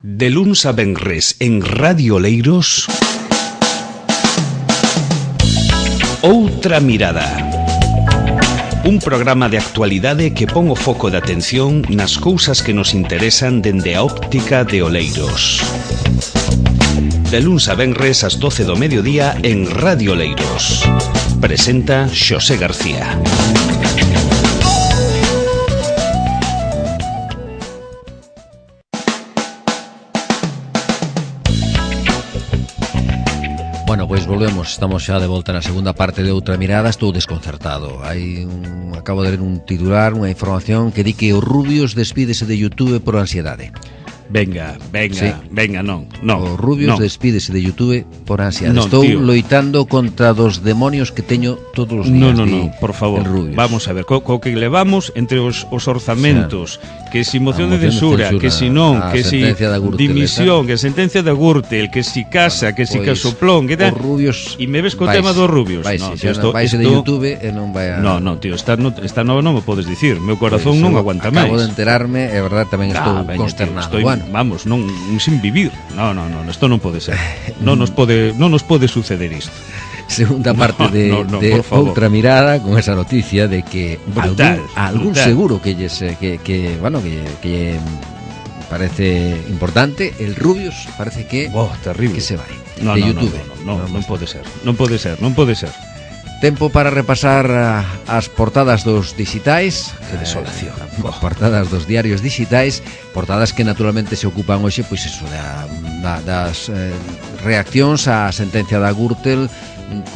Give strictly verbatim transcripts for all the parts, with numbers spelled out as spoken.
De luns a venres en Radio Oleiros, Outra Mirada. Un programa de actualidade que pon o foco de atención nas cousas que nos interesan dende a óptica de Oleiros. De luns a venres ás doce do mediodía en Radio Oleiros. Presenta Xosé García. Bueno, pois volvemos, estamos xa de volta na segunda parte de Outra Mirada. Estou desconcertado. Hai un, acabo de ler un titular, unha información que di que o Rubius despídese de YouTube por ansiedade. Venga, venga, sí. venga, non, non. O Rubius non. despídese de YouTube por ansiedade. Non, Estou tío. loitando contra dos demonios que teño todos os días. No, no, no, por favor. Vamos a ver, co, co que levamos entre os, os orzamentos, o sea, que si moción de censura, que si non, que si dimisión, que sentencia de Gürtel, que si casa, que si casoplón, que tal. Rubius. E me ves co tema dos Rubius. Vai, no, si, esto, vais esto, de YouTube e non vai a... No, no, tío, esta, no, esta nova non me podes dicir. Meu corazón pues, non aguanta máis. Acabo de enterarme, é verdade, tamén estou ah, veña, consternado. Tío, estoy, bueno. Vamos, non sin vivir. No, no, no, isto non pode ser. Non nos pode, non nos pode suceder isto. Segunda parte no, de, no, no, de Outra Mirada, con esa noticia de que brutal, algún, algún brutal. seguro que, lles, que, que bueno, que, que parece importante, el Rubius parece que, oh, terrible. que se vai no, de no, YouTube. No, no, no, non pode ser, non pode ser, non pode ser. Tempo para repasar uh, as portadas dos digitais. Que desolación. Eh, as portadas dos diarios digitais, portadas que naturalmente se ocupan hoxe, pois eso, da, da, das eh, reaccións á sentencia da Gürtel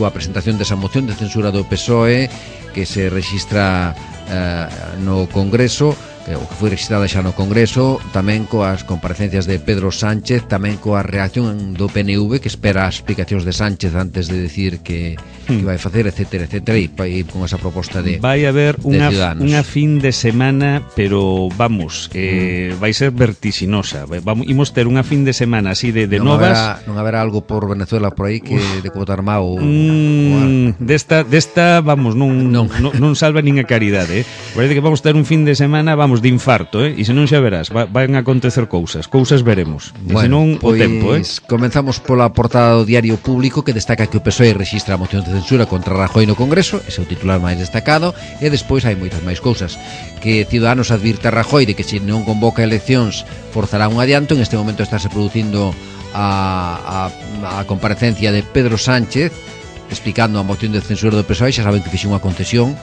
coa presentación desa moción de censura do P S O E que se rexistra eh, no Congreso, eh, o que foi registrada xa no Congreso, tamén coas comparecencias de Pedro Sánchez, tamén coa reacción do P N V que espera as explicacións de Sánchez antes de decir que, hmm. que vai facer, etcétera, etcétera, e, e con esa proposta de vai haber unha, unha fin de semana, pero vamos, eh, hmm. vai ser vertiginosa. Vamos, imos ter unha fin de semana así de, de non novas. Haberá, non haberá algo por Venezuela por aí que Uf. de Cotar Mao. Mm, desta, desta, vamos, non, non. non, non salva nin a caridade, eh. Parece que vamos ter un fin de semana, vamos, de infarto, eh? E se non xa verás, va, van a acontecer cousas, cousas veremos. E bueno, se non, pois, o tempo, eh? Comenzamos pola portada do Diario Público, que destaca que o P S O E rexistra a moción de censura contra Rajoy no Congreso, ese é o titular máis destacado, e despois hai moitas máis cousas. Que Ciudadanos advirte a Rajoy de que se non convoca eleccións forzará un adianto. En este momento estáse producindo a, a, a comparecencia de Pedro Sánchez explicando a moción de censura do P S O E. Xa saben que fixe unha concesión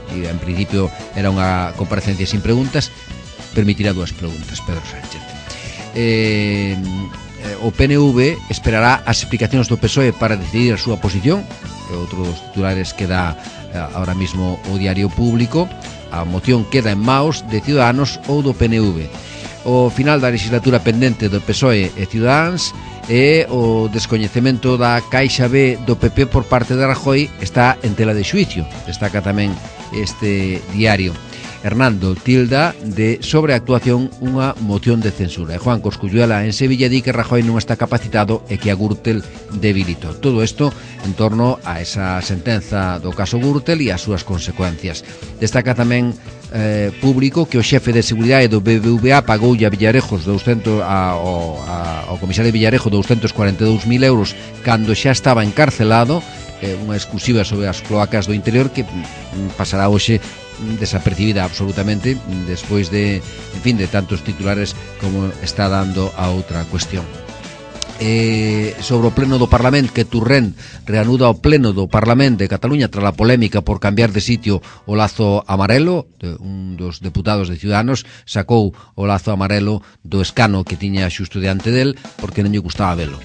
e en principio era unha comparecencia sin preguntas. Permitirá dúas preguntas Pedro Sánchez. eh, o P N V esperará as explicacións do P S O E para decidir a súa posición. É outro dos titulares que dá ahora mismo o Diario Público. A moción queda en maos de Ciudadanos ou do P N V. O final da legislatura pendente do P S O E e Ciudadanos e o descoñecemento da Caixa B do P P por parte de Rajoy está en tela de xuicio. Destaca tamén este diario. Hernando tilda de sobreactuación unha moción de censura. E Juan Cosculluela en Sevilla di que Rajoy non está capacitado e que a Gürtel debilitou. Todo isto en torno a esa sentenza do caso Gürtel e as súas consecuencias. Destaca tamén eh, Público que o xefe de seguridade do B B V A pagoulle a Villarejos doscientos, a, ao, a, ao comisario Villarejo doscientos cuarenta e dous mil euros cando xa estaba encarcelado. Eh, unha exclusiva sobre as cloacas do interior que pasará hoxe desapercibida absolutamente despois de, en fin, de tantos titulares como está dando a outra cuestión. Eh, sobre o pleno do Parlamento, que Turrén reanuda o pleno do Parlamento de Cataluña tras a polémica por cambiar de sitio o lazo amarelo. Un dos deputados de Ciudadanos sacou o lazo amarelo do escano que tiña xusto diante del porque non lle gustaba velo.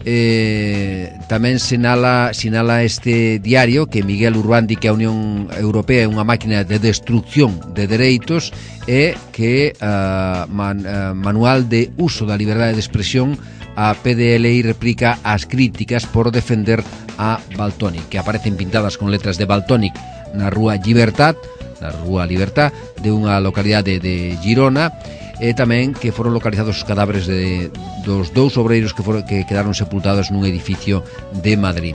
Eh, tamén sinala, sinala este diario que Miguel Urbán di que a Unión Europea é unha máquina de destrucción de dereitos e que uh, man, uh, manual de uso da liberdade de expresión. A P D L I replica as críticas por defender a Valtònyc, que aparecen pintadas con letras de Valtònyc na rúa Llibertat, na rúa Libertad de unha localidade de Girona. E tamén que foron localizados os cadáveres de, dos dous obreiros que, foron, que quedaron sepultados nun edificio de Madrid.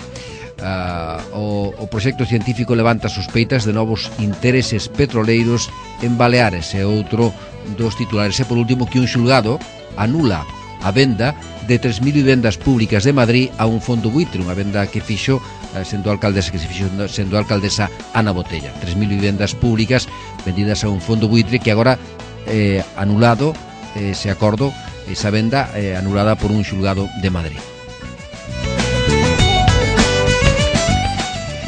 Uh, o, o proxecto científico levanta sospeitas de novos intereses petroleiros en Baleares, e outro dos titulares. E por último que un xulgado anula a venda de tres mil vivendas públicas de Madrid a un fondo buitre, unha venda que fixo sendo alcaldesa que se fixo sendo alcaldesa Ana Botella. tres mil vivendas públicas vendidas a un fondo buitre que agora eh, anulado eh, ese acordo, esa venda eh, anulada por un xulgado de Madrid.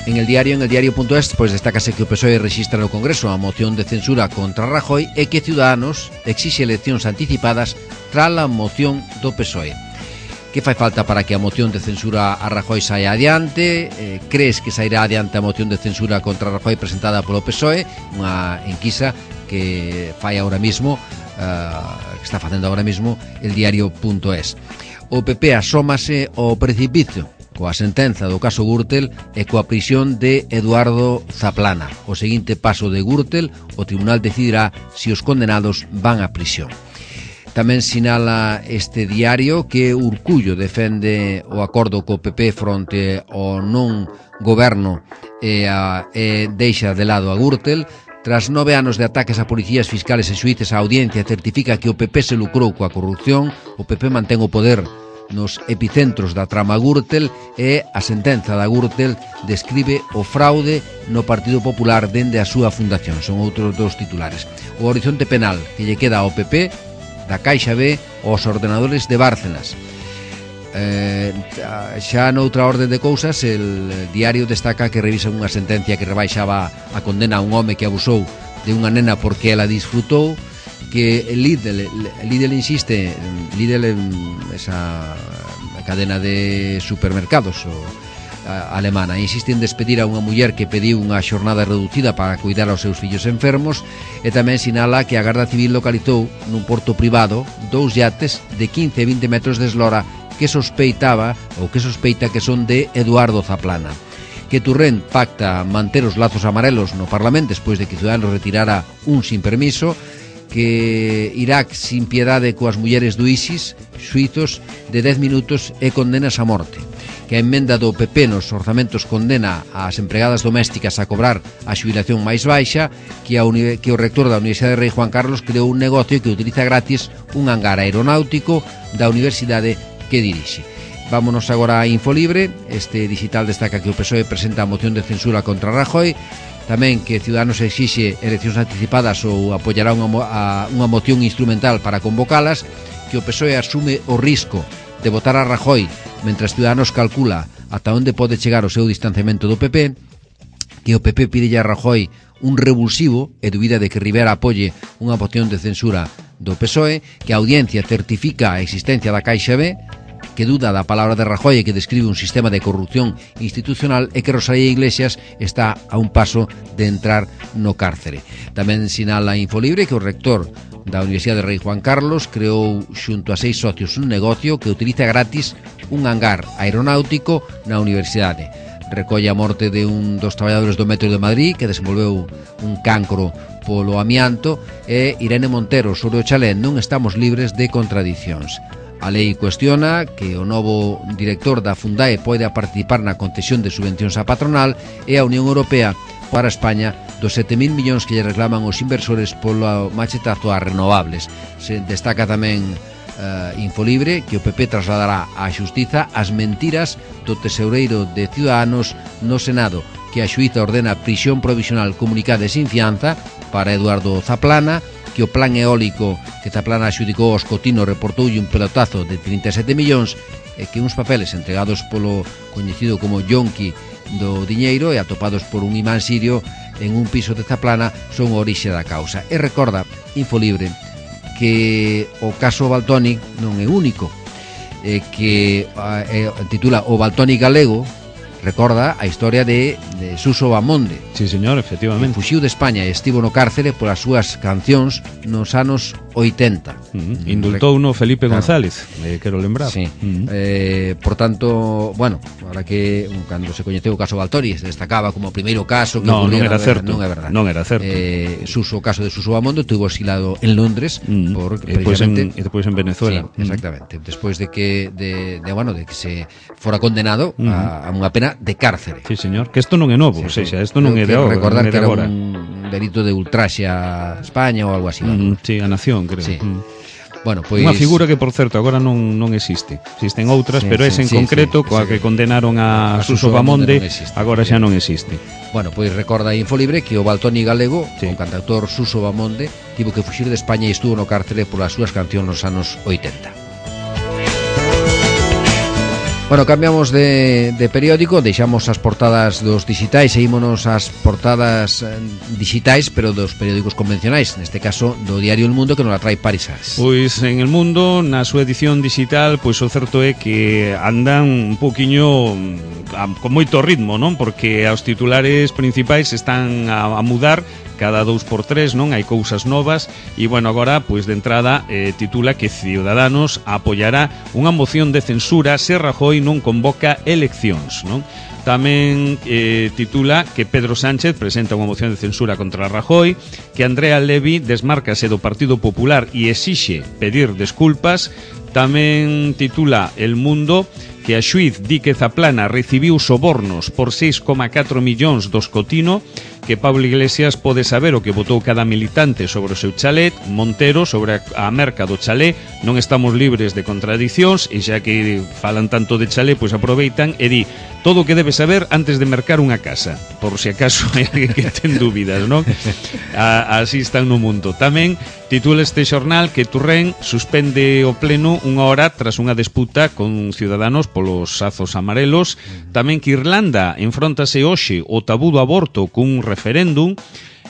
En el diario, en el diario.es, pois destácase que o P S O E rexistra no Congreso a moción de censura contra Rajoy e que Ciudadanos exixe eleccións anticipadas tras a moción do P S O E. Que fai falta para que a moción de censura a Rajoy saia adiante? Eh, crees que sairá adiante a moción de censura contra Rajoy presentada polo P S O E? Unha enquisa que fai ahora mismo, uh, que está facendo ahora mismo el diario.es. O P P asómase ao precipicio coa sentenza do caso Gürtel e coa prisión de Eduardo Zaplana. O seguinte paso de Gürtel, o tribunal decidirá se os condenados van a prisión. Tamén sinala este diario que Urcullo defende o acordo co P P fronte ao non goberno e, a, e deixa de lado a Gürtel. Tras nove anos de ataques a policías, fiscales e xuíces, a audiencia certifica que o P P se lucrou coa corrupción. O P P mantén o poder nos epicentros da trama Gürtel e a sentenza da Gürtel describe o fraude no Partido Popular dende a súa fundación. Son outros dos titulares. O horizonte penal que lle queda ao P P, da Caixa B aos ordenadores de Bárcenas. Eh, xa noutra orde de cousas, el diario destaca que revisa unha sentencia que rebaixaba a condena a un home que abusou de unha nena porque ela disfrutou, que Lidl, Lidl insiste, Lidl esa cadena de supermercados o, a, alemana, insiste en despedir a unha muller que pediu unha xornada reducida para cuidar aos seus fillos enfermos, e tamén sinala que a Garda Civil localizou nun porto privado dous yates de quince e vinte metros de eslora que sospeitaba ou que sospeita que son de Eduardo Zaplana. Que Turrén pacta manter os lazos amarelos no Parlamento despois de que Ciudadanos retirara un sin permiso, que Irak sin piedade coas mulleres do ISIS, suizos de dez minutos e condenas a morte, que a emenda do P P nos orzamentos condena ás empregadas domésticas a cobrar a xubilación máis baixa, que, a uni- que o rector da Universidade de Rei Juan Carlos creou un negocio que utiliza gratis un hangar aeronáutico da universidade que dirixe. Vámonos agora a Infolibre. Este digital destaca que o P S O E presenta a moción de censura contra Rajoy, tamén que Ciudadanos exixe eleccións anticipadas ou apoiará unha, mo- a, unha moción instrumental para convocalas, que o P S O E asume o risco de votar a Rajoy mentras Ciudadanos calcula ata onde pode chegar o seu distanciamento do P P, que o P P pide a Rajoy un revulsivo e dubida de que Rivera apoie unha moción de censura do P S O E, que a audiencia certifica a existencia da Caixa B, que duda da palabra de Rajoy e que describe un sistema de corrupción institucional, e que Rosalía Iglesias está a un paso de entrar no cárcere. Tamén sinala Infolibre que o rector da Universidade de Rei Juan Carlos creou xunto a seis socios un negocio que utiliza gratis un hangar aeronáutico na universidade. Recolle a morte de un dos traballadores do Metro de Madrid que desenvolveu un cancro polo amianto, e Irene Montero sobre o chalé non estamos libres de contradicións. A lei cuestiona que o novo director da Fundae poida participar na concesión de subvencións á patronal, e a Unión Europea para España dos sete mil millóns que lle reclaman os inversores polo machetazo ás renovables. Se destaca tamén uh, Infolibre que o P P trasladará á xustiza as mentiras do tesoureiro de Ciudadanos no Senado, que a xuíza ordena prisión provisional comunicada e sin fianza para Eduardo Zaplana, que o plan eólico que Zaplana adxudicou aos Cotino reportoulle un pelotazo de trinta e sete millóns, e que uns papeles entregados polo coñecido como Yonki do diñeiro e atopados por un imán sirio en un piso de Zaplana son a orixe da causa. E recorda Infolibre que o caso Valtonyc non é único, e que eh, titula O Valtonyc galego. Recorda a historia de, de Suso Bamonde. Sí, señor, efectivamente. Que fuxiu de España e estivo no cárcere polas súas cancións nos anos oitenta. Uh-huh. Indultou no Felipe claro. González, eh, quero lembrar. Sí. Uh-huh. Eh, por tanto, bueno, ahora que cando se coñeceu o caso Valtori se destacaba como o primeiro caso que no, non era certo. Non é verdade. Non era certo. Eh, Suso, o caso de Suso Bamonde tuvo exilado en Londres uh-huh. por e despois en, e despois en Venezuela. Sí, exactamente. Uh-huh. Despois de que de, de bueno, de que se fora condenado uh-huh. a, a unha pena de cárcere. Sí, señor, que isto non é novo, sí, sí. O sea, isto non é de agora. Recordar que era agora. un delito de ultraxe a España ou algo así. Mm, sí, a nación, creo. Sí. Mm. Bueno, pois... Unha figura que, por certo, agora non, non existe. Existen outras, sí, pero sí, ese en sí, concreto, sí, coa sí, que condenaron a, a Suso Bamonde, non existe, agora xa non existe. Bueno, pois recorda a Infolibre que o Valtoni galego, sí, o cantautor Suso Bamonde, tivo que fuxir de España e estuvo no cárcere polas súas cancións nos anos oitenta. Bueno, cambiamos de, de periódico, deixamos as portadas dos digitais e ímonos as portadas digitais, pero dos periódicos convencionais, neste caso do diario El Mundo, que nos la trae Paris Sars. Pois en El Mundo, na súa edición digital, pois o certo é que andan un poquinho con moito ritmo, non? Porque os titulares principais están a, a mudar cada dous por tres, non? Hai cousas novas e, bueno, agora, pois de entrada eh, titula que Ciudadanos apoiará unha moción de censura se Rajoy non convoca eleccións, non? Tamén eh, titula que Pedro Sánchez presenta unha moción de censura contra Rajoy, que Andrea Levy desmárcase do Partido Popular e exixe pedir desculpas. Tamén titula El Mundo que a xuiz di que Zaplana recibiu sobornos por seis coma catro millóns do Escotino, que Pablo Iglesias pode saber o que votou cada militante sobre o seu chalet, Montero sobre a merca do chalé. Non estamos libres de contradicións e xa que falan tanto de chalé, pois aproveitan e di todo o que debe saber antes de mercar unha casa, por se acaso hai alguén que ten dúbidas, non? A, así están no mundo. Tamén titula este xornal que Turren suspende o pleno unha hora tras unha disputa con Ciudadanos polos azos amarelos. Tamén que Irlanda enfróntase hoxe o tabú do aborto cun referéndum.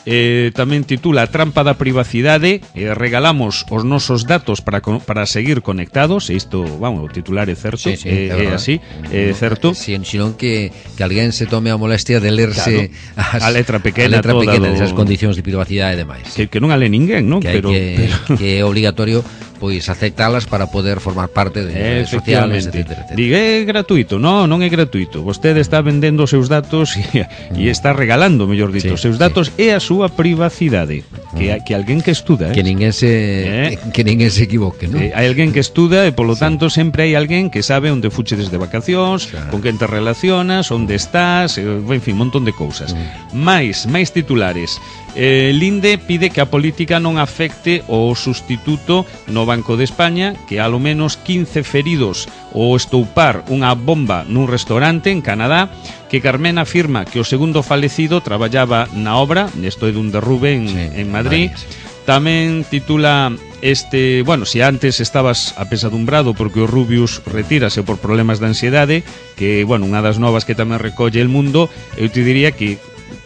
Eh, tamén titula Trampa da privacidade, eh, regalamos os nosos datos para, para seguir conectados. E isto, vamos, o titular é certo, sí, sí, é, é así, é certo. Si, senón que, que alguén se tome a molestia de lerse, claro, as, a letra pequena, a letra toda pequena do... desas condicións de privacidade e demais. Que, que non a le ninguén, non? Que, pero, que, pero... que é obligatorio pois aceptalas para poder formar parte de redes sociales, etcétera, etcétera. Diga, é gratuito? Non, non é gratuito. Vostede está vendendo os seus datos e, e está regalando, mellor dito, sí, os seus datos sí, e a súa privacidade. Que, que alguén que estuda, eh? Que ninguén se eh? que ninguén se equivoque, non? Eh, hai alguén que estuda e polo sí, tanto sempre hai alguén que sabe onde fuches de vacacións, claro, con quen te relacionas, onde estás, en fin, un montón de cousas. Mm. Mais, máis titulares. Eh, Linde pide que a política non afecte o sustituto no Banco de España, que alo menos quince feridos ou estoupar unha bomba nun restaurante en Canadá, que Carmen afirma que o segundo falecido traballaba na obra, isto é dun derrube en, sí, en Madrid. Vale. Tamén titula este, bueno, se antes estabas apesadumbrado porque o Rubius retírase por problemas de ansiedade, que, bueno, unha das novas que tamén recolle El Mundo, eu te diría que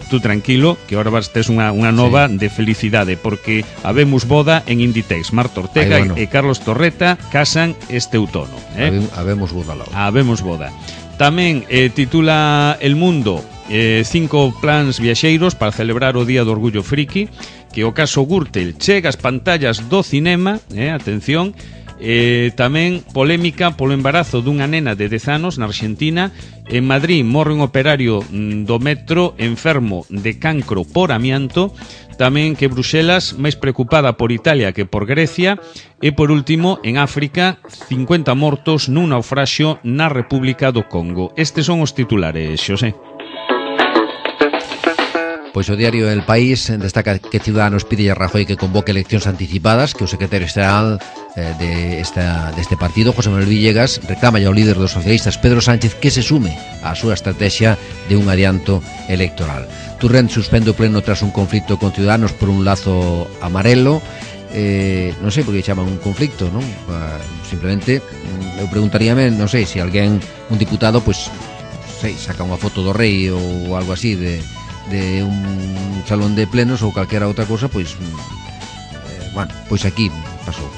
tú tranquilo, que ahora vas tes unha, unha nova sí, de felicidade, porque habemos boda en Inditex. Marta Ortega Ay, bueno. e Carlos Torreta casan este outono, eh? Habemos boda lá. Habemos boda. Tamén eh, titula El Mundo eh, cinco plans viaxeiros para celebrar o Día do Orgullo Friki, que o caso Gürtel chega ás pantallas do cinema, eh, atención. Eh, tamén polémica polo embarazo dunha nena de dez anos na Argentina. En Madrid morre un operario do metro enfermo de cancro por amianto. Tamén que Bruxelas máis preocupada por Italia que por Grecia. E por último, en África, cincuenta mortos nun naufraxio na República do Congo. Estes son os titulares, Xosé. Pois o diario El País destaca que Ciudadanos pide a Rajoy que convoque eleccións anticipadas, que o secretario xeral eh, de esta, deste partido, José Manuel Villegas, reclama ao líder dos socialistas, Pedro Sánchez, que se sume á súa estrategia de un adianto electoral. Turrent suspende o pleno tras un conflito con Ciudadanos por un lazo amarelo. Eh, non sei por que chaman un conflicto, non? Uh, simplemente, eu preguntaríame, non sei, se alguén, un diputado, pois, sei, saca unha foto do rei ou algo así de... de un salón de plenos ou calquera outra cosa, pois eh, bueno, pois aquí pasou.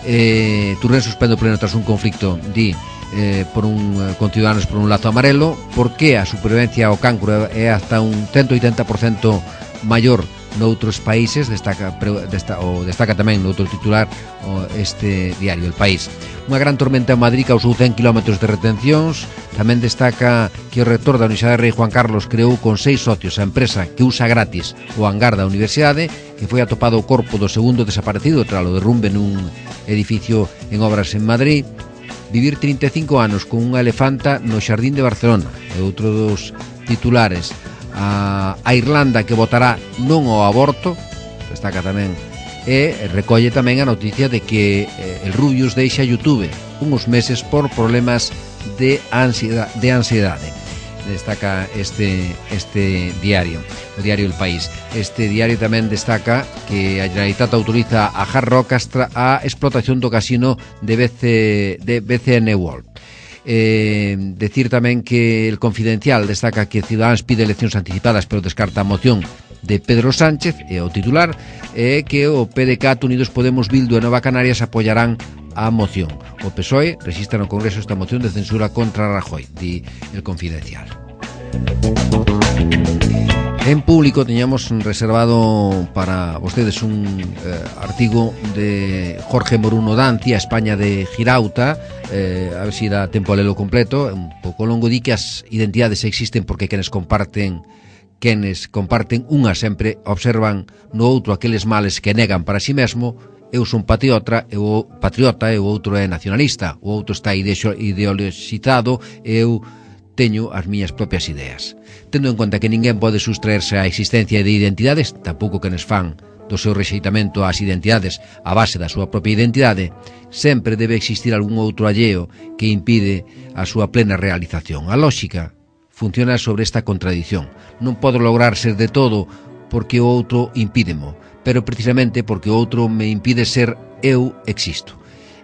Eh, Turren suspende o pleno tras un conflicto, di, eh, por un con Ciudadanos por un lazo amarelo. Por que a supervivencia ao cancro é hasta un ciento oitenta por cento maior noutros países, destaca, desta, o destaca tamén noutro titular o este diario El País. Unha gran tormenta en Madrid causou cen kilómetros de retencións. Tamén destaca que o rector da Universidade Rei Juan Carlos creou con seis socios a empresa que usa gratis o hangar da universidade, que foi atopado o corpo do segundo desaparecido tras o derrumbe nun edificio en obras en Madrid. Vivir trinta e cinco anos con unha elefanta no Xardín de Barcelona é outro dos titulares. A, a Irlanda que votará non ao aborto, destaca tamén e recolle tamén a noticia de que eh, el Rubius deixa YouTube uns meses por problemas de ansiedade, de ansiedade. Destaca este este diario, o diario El País. Este diario tamén destaca que a Generalitat autoriza a Hard Rock a explotación do casino de B C, de B C N World. Eh, decir tamén que el Confidencial destaca que Ciudadanos pide eleccións anticipadas pero descarta a moción de Pedro Sánchez, e o titular é que o P D C A T, Unidos Podemos, Bildu e Nova Canarias apoyarán a moción. O P S O E resiste no Congreso esta moción de censura contra Rajoy, di el Confidencial. En Público teñamos reservado para vostedes un eh, artigo de Jorge Moruno Danci, a España de Girauta, eh, a ver se si dá tempo a lelo completo, un pouco longo. Di que as identidades existen porque quenes comparten quenes comparten unha sempre observan no outro aqueles males que negan para si mesmo. Eu son patriota, eu patriota e o outro é nacionalista, o outro está ideologizado e eu teño as miñas propias ideas. Tendo en conta que ninguén pode sustraerse á existencia de identidades, tampouco que nos fan do seu rexeitamento ás identidades a base da súa propia identidade, sempre debe existir algún outro alleo que impide a súa plena realización. A lóxica funciona sobre esta contradición. Non podo lograr ser de todo porque o outro impídemo, pero precisamente porque o outro me impide ser, eu existo.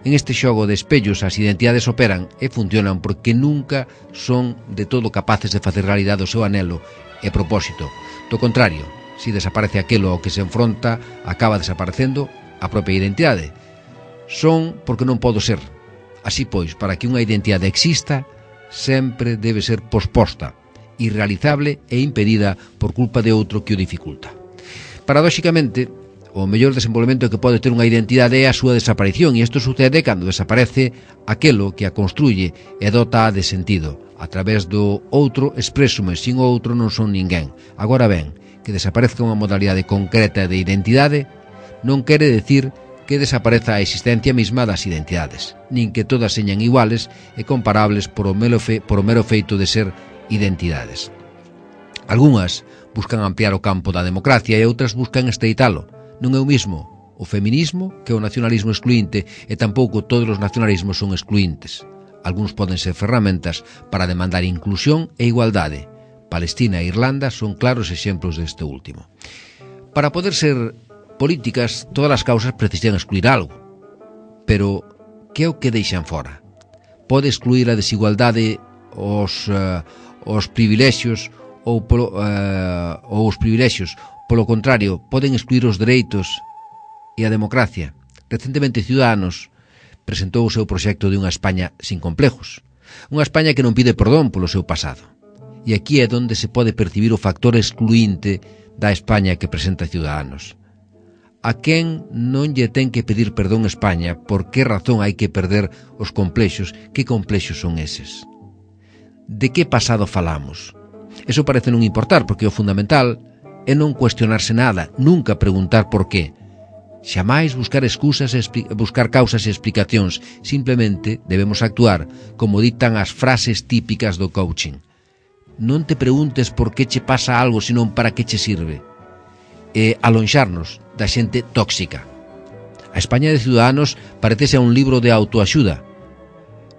En este xogo de espellos as identidades operan e funcionan porque nunca son de todo capaces de facer realidade o seu anhelo e propósito. Do contrario, si desaparece aquilo ao que se enfronta, acaba desaparecendo a propia identidade. Son porque non podo ser. Así pois, para que unha identidade exista, sempre debe ser posposta, irrealizable e impedida por culpa de outro que o dificulta. Paradóxicamente, o mellor desenvolvemento que pode ter unha identidade é a súa desaparición, e isto sucede cando desaparece aquelo que a construye e dota de sentido. A través do outro expresume, sin o outro non son ninguén. Agora ben, que desaparezca unha modalidade concreta de identidade non quere decir que desapareza a existencia mesma das identidades, nin que todas señan iguales e comparables por o mero, fe, por o mero feito de ser identidades. Algúnas buscan ampliar o campo da democracia e outras buscan estreitalo. Non é o mismo o feminismo que o nacionalismo excluinte, e tampouco todos os nacionalismos son excluintes. Algúns poden ser ferramentas para demandar inclusión e igualdade. Palestina e Irlanda son claros exemplos deste último. Para poder ser políticas, todas as causas precisan excluir algo. Pero que é o que deixan fora? Pode excluir a desigualdade, os, uh, os privilexios ou, polo, uh, ou os privilexios. Polo contrario, poden excluir os dereitos e a democracia. Recentemente Ciudadanos presentou o seu proxecto de unha España sin complejos. Unha España que non pide perdón polo seu pasado. E aquí é onde se pode percibir o factor excluinte da España que presenta Ciudadanos. A quen non lle ten que pedir perdón a España? Por que razón hai que perder os complexos? Que complexos son eses? De que pasado falamos? Eso parece non importar, porque o fundamental é non cuestionarse nada, nunca preguntar por qué. Xamais buscar excusas e buscar causas e explicacións. Simplemente debemos actuar como ditan as frases típicas do coaching. Non te preguntes por que che pasa algo, senón para que che sirve. E alonxarnos da xente tóxica. A España de Ciudadanos parecese a un libro de autoaxuda.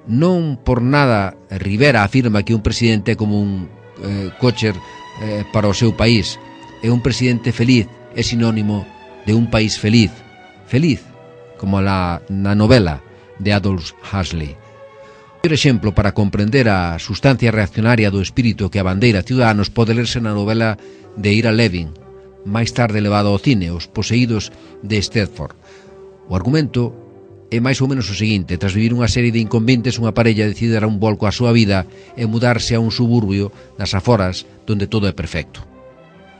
Non por nada Rivera afirma que un presidente é como un eh, cocher eh, para o seu país. E un presidente feliz é sinónimo de un país feliz. Feliz, como la, na novela de Aldous Huxley. Outro exemplo para comprender a sustancia reaccionaria do espírito que abandeira Ciudadanos pode lerse na novela de Ira Levin, máis tarde levado ao cine, Os poseídos de Stepford. O argumento é máis ou menos o seguinte: tras vivir unha serie de inconvenientes, unha parella decide dar un volco á súa vida e mudarse a un suburbio nas aforas donde todo é perfecto.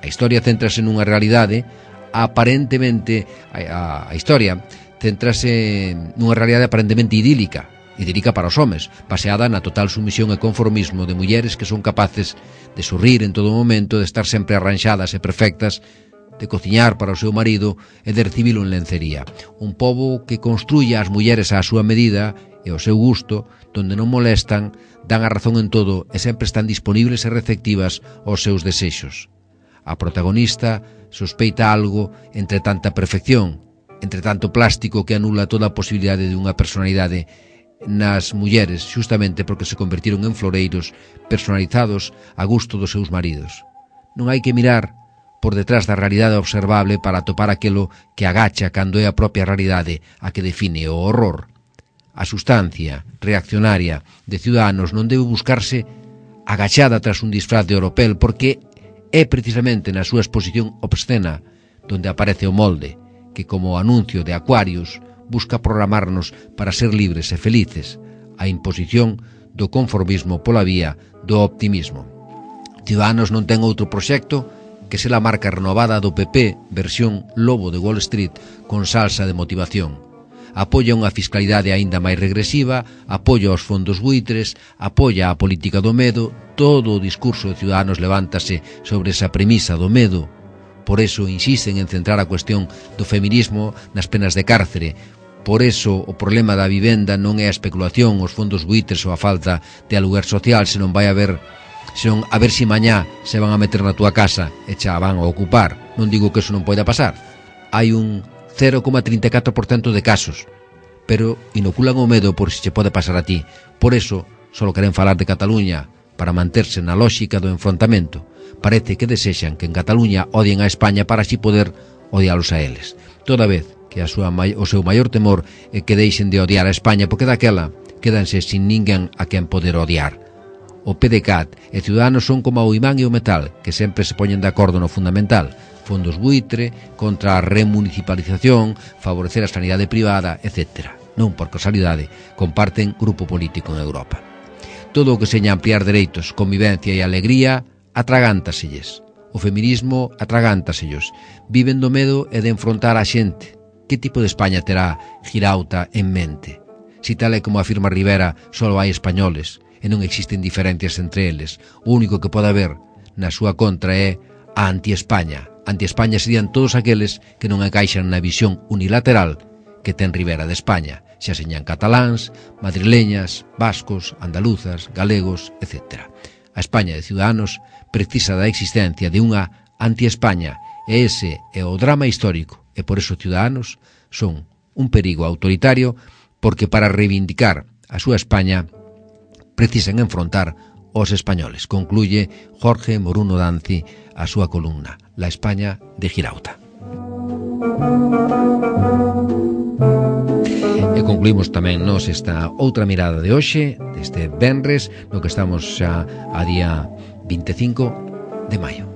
A historia céntrase nunha realidade aparentemente a, a, a historia céntrase nunha realidade aparentemente idílica, idílica para os homes, baseada na total sumisión e conformismo de mulleres que son capaces de sorrir en todo momento, de estar sempre arranxadas e perfectas, de cociñar para o seu marido e de recibilo en lencería. Un pobo que construya as mulleres á súa medida e ao seu gusto, donde non molestan, dan a razón en todo e sempre están disponibles e receptivas aos seus desexos. A protagonista sospeita algo entre tanta perfección entre tanto plástico que anula toda a posibilidade de unha personalidade nas mulleres, xustamente porque se convertiron en floreiros personalizados a gusto dos seus maridos. Non hai que mirar por detrás da realidade observable para atopar aquilo que agacha cando é a propia realidade a que define o horror. A sustancia reaccionaria de Ciudadanos non debe buscarse agachada tras un disfraz de oropel, porque é precisamente na súa exposición obscena donde aparece o molde, que como anuncio de Aquarius busca programarnos para ser libres e felices, a imposición do conformismo pola vía do optimismo. Ciudadanos non ten outro proxecto que ser a marca renovada do P P versión Lobo de Wall Street con salsa de motivación. Apoia unha fiscalidade aínda máis regresiva, apoia os fondos buitres, apoia a política do medo. Todo o discurso de Ciudadanos levántase sobre esa premisa do medo. Por eso insisten en centrar a cuestión do feminismo nas penas de cárcere. Por eso o problema da vivenda non é a especulación, os fondos buitres ou a falta de aluguer social, senón vai haber, senón a ver si mañá se van a meter na túa casa e xa van a ocupar. Non digo que eso non poida pasar. Hai un cero coma trinta e catro por cento de casos, pero inoculan o medo por si che pode pasar a ti. Por eso só queren falar de Cataluña para manterse na lógica do enfrontamento. Parece que desexan que en Cataluña odien a España para así poder odialos a eles. Toda vez que a súa, o seu maior temor é que deixen de odiar a España, porque daquela quedanse sin ninguén a quen poder odiar. O P D C A T e Ciudadanos son como o imán e o metal, que sempre se poñen de acordo no fundamental: fondos buitre, contra a remunicipalización, favorecer a sanidade privada, etcétera. Non por casualidade, comparten grupo político en Europa. Todo o que seña ampliar dereitos, convivencia e alegría atragántaselles. O feminismo atragántasellos. Viven do medo e de enfrontar a xente. Que tipo de España terá Girauta en mente? Si tal é como afirma Rivera, só hai españoles e non existen diferencias entre eles. O único que pode haber na súa contra é a anti-España. Anti-España serían todos aqueles que non encaixan na visión unilateral que ten Rivera de España, xa señan cataláns, madrileñas, vascos, andaluzas, galegos, etcétera. A España de Ciudadanos precisa da existencia de unha anti-España, e ese é o drama histórico, e por eso Ciudadanos son un perigo autoritario, porque para reivindicar a súa España precisan enfrontar os españoles. Concluye Jorge Moruno Danzi a súa columna La España de Girauta. E concluímos tamén nos esta outra mirada de hoxe, deste venres, no que estamos xa a día vinte e cinco de maio.